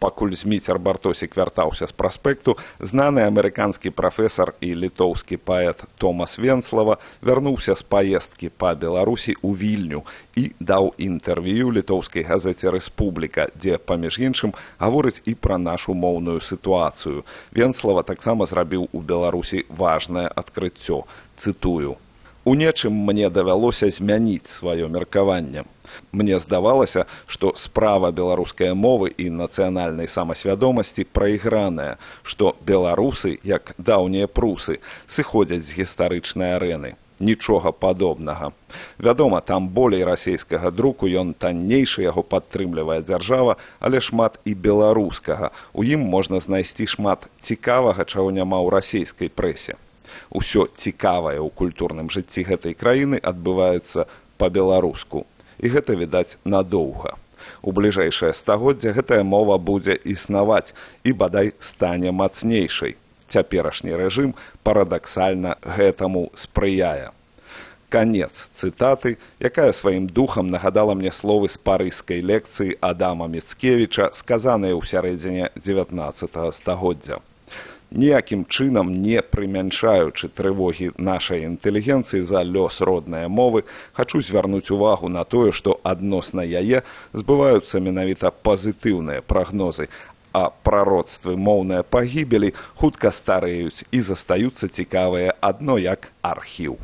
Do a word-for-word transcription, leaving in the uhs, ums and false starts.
Пакуль Зміцер Бартосік вяртаўся з праспекту, знаны амерыканскі прафесар і літоўскі паэт Томас Венслава вярнуўся з паездкі па Беларусі ў Вільню і даў інтэрв'ю літоўскай газеце «Рэспубліка», дзе, паміж іншым, гаворыць і пра нашу моўную сітуацыю. Венслава таксама зрабіў у Беларусі важнае адкрыццё. Цытую. «У нечым мне давялося змяніць сваё меркаванне. Мне здавалася, што справа беларускай мовы і нацыянальнай самасвядомасці прайграная, што беларусы, як даўнія прусы, сыходзяць з гістарычнай арэны. Нічога падобнага. Вядома, там болей расейскага друку, ён таннейшы, яго падтрымлівае дзяржава, але шмат і беларускага. У ім можна знайсці шмат цікавага, чаго няма ў расейскай прэсе. Усё цікавае ў культурным жыцці гэтай краіны адбываецца па-беларуску. І гэта, відаць, надоўга. У бліжэйшае стагоддзе гэтая мова будзе існаваць і, бадай, стане мацнейшай. Цяперашні рэжым парадаксальна гэтаму спрыяе». Канец цытаты, якая сваім духам нагадала мне словы з парыжскай лекцыі Адама Міцкевіча, сказаныя ў сярэдзіне дзевятнаццатага стагоддзя. Ніякім чынам не прымяншаючы трывогі нашай інтэлігенцыі за лёс роднай мовы, хачу звярнуць увагу на тое, што адносна яе збываюцца менавіта пазітыўныя прагнозы, а прароцтвы моўнай пагібелі хутка стареюць і застаюцца цікавыя адно як архіў.